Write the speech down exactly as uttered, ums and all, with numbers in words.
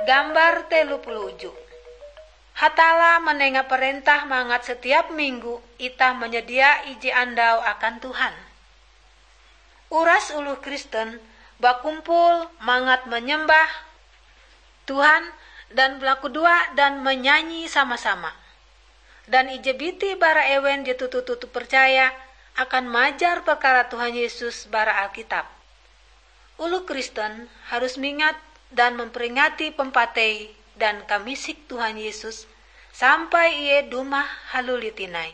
Gambar telu puluh uju. Hatalla manenga parentah mangat setiap minggu itah manyadia ije andau akan Tuhan. Uras oloh Kristen bakumpul mangat manyembah Tuhan dan balakudoa dan manyanyi sama-sama. Dan ije biti bara ewen je toto-toto percaya akan majar perkara Tuhan Yesus bara Alkitab. Oloh Kristen harus mingat dan memperingati pampatei dan kamisik Tuhan Yesus sampai Ie dumah haluli tinai.